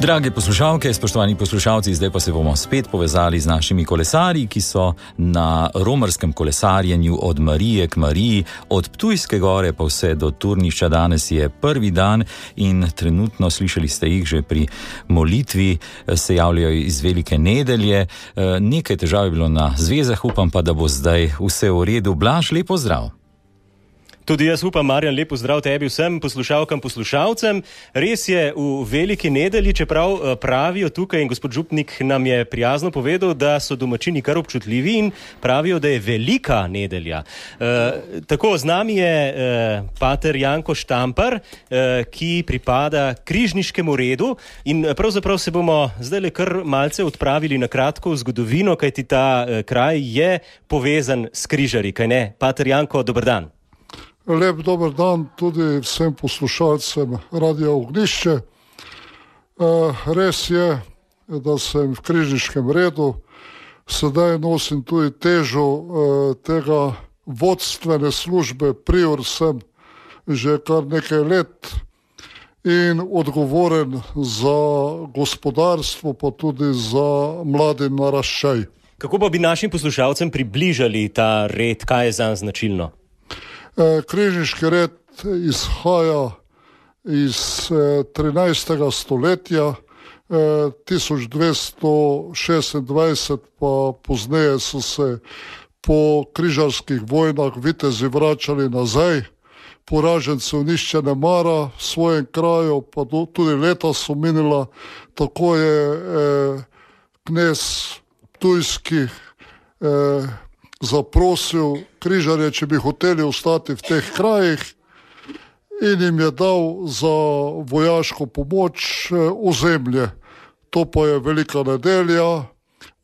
Drage poslušalke, spoštovani poslušalci, zdaj pa se bomo spet povezali z našimi kolesarji, ki so na romarskem kolesarjenju od Marije k Mariji, od Ptujske gore pa vse do Turnišča. Danes je prvi dan in trenutno, slišali ste jih že pri molitvi, se javljajo iz Velike nedelje. Nekaj težav je bilo na zvezah, upam pa, da bo zdaj vse v redu. Blaž, lep pozdrav. Tudi jaz upam, Marjan, lep pozdrav tebi vsem poslušalkam, poslušalcem. Res je v Veliki nedelji, čeprav pravijo tukaj, in gospod župnik nam je prijazno povedal, da so domačini kar občutljivi in pravijo, da je velika nedelja. Tako, z nami je pater Janko Štampar, ki pripada križniškemu redu, in pravzaprav se bomo zdaj kar malce odpravili na kratko v zgodovino, kajti ta kraj je povezan s križarji, kaj ne? Pater Janko, dober dan. Lep dober dan tudi vsem poslušalcem Radia Ognjišče. Res je, da sem v križniškem redu, sedaj nosim tudi težo tega vodstvene službe, prior sem že kar nekaj let in odgovoren za gospodarstvo, pa tudi za mladi naraščaj. Kako pa bi našim poslušalcem približali ta red, kaj je zanj značilno? Križniški red izhaja iz 13. stoletja, 1226 pa pozneje so se po križarskih vojnah vitezi vračali nazaj, poražencev nišče ne mara v svojem kraju, pa tudi leta so minila, tako je knez Ptujski zaprosil križarje, če bi hoteli ostati v teh krajih, in jim je dal za vojaško pomoč ozemlje. To pa je Velika nedelja,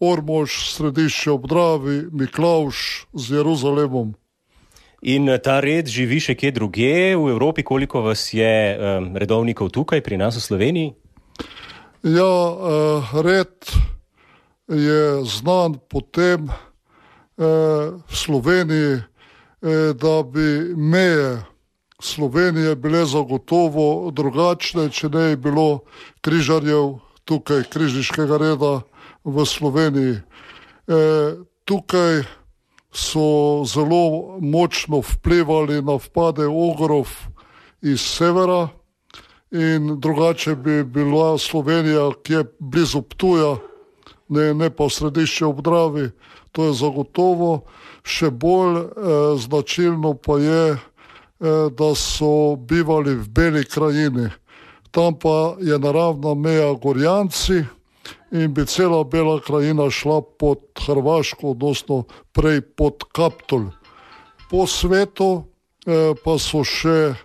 Ormož, Središče ob Dravi, Miklavž z Jeruzalemom. In ta red živi še kje drugje v Evropi? Koliko vas je redovnikov tukaj pri nas v Sloveniji? Ja, red je znan potem v Sloveniji, da bi meje Slovenije bile zagotovo drugačne, če ne je bilo križarjev tukaj, križniškega reda v Sloveniji. Tukaj so zelo močno vplivali na vpade ogrov iz severa in drugače bi bila Slovenija, ki je blizu Ptuja, ne pa v Središče ob Dravi. To je zagotovo. Še bolj značilno pa je, da so bivali v Beli krajini. Tam pa je naravna meja Gorjanci in bi cela Bela krajina šla pod Hrvaško, odnosno prej pod Kaptolj. Po svetu pa so še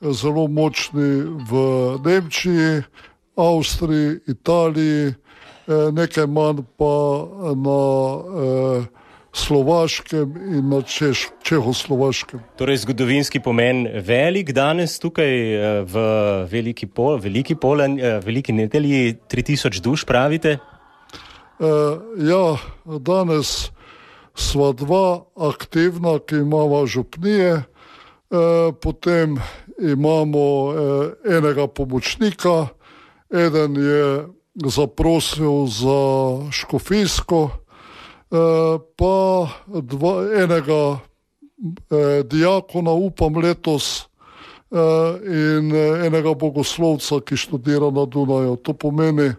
zelo močni v Nemčiji, Avstriji, Italiji, nekaj manj pa na Slovaškem in na Čehoslovaškem. Torej zgodovinski pomen velik danes tukaj v Veliki nedelji, 3000 duš pravite? Ja, danes sva dva aktivna, ki imamo župnije, potem imamo enega pomočnika, eden je zaprosil za škofijsko, pa enega diakona, upam letos, in enega bogoslovca, ki študira na Dunaju. To pomeni,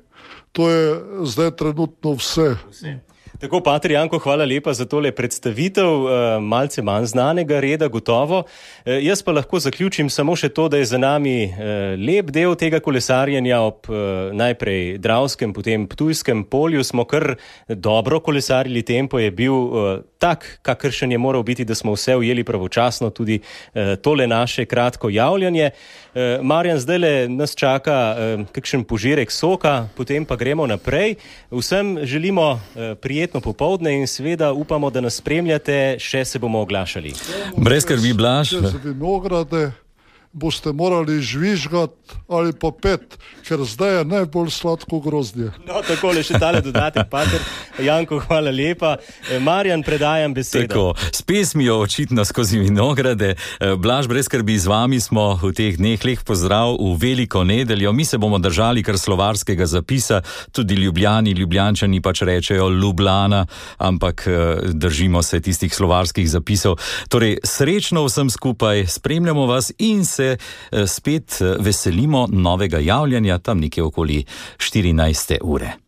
to je zdaj trenutno vse. Tako, pater Janko, hvala lepa za tole predstavitev malce manj znanega reda, gotovo. Jaz pa lahko zaključim samo še to, da je za nami lep del tega kolesarjenja ob najprej Dravskem, potem Ptujskem polju. Smo kar dobro kolesarili, tempo je bil tak, kakršen je moral biti, da smo vse ujeli pravočasno, tudi tole naše kratko javljanje. Marjan, zdajle nas čaka kakšen požirek soka, potem pa gremo naprej. Vsem želimo prijetno popoldne in seveda upamo, da nas spremljate, še se bomo oglašali. Brez skrbi, Blaž. Čez vinograde boste morali žvižgati ali pa pet, ker zdaj je najbolj sladko grozdje. No, takole še tale dodatek, pater Janko, hvala lepa. Marjan, predajam besedo. Tako, s pesmijo očitno skozi vinograde. Blaž, brez skrbi, z vami smo v teh dneh. Lep pozdrav v veliko nedeljo. Mi se bomo držali kar slovarskega zapisa, tudi Ljubljančani pač rečejo Ljubljana, ampak držimo se tistih slovarskih zapisov. Torej, srečno vsem skupaj, spremljamo vas in se spet veselimo novega javljanja tam nekje okoli 14. ure.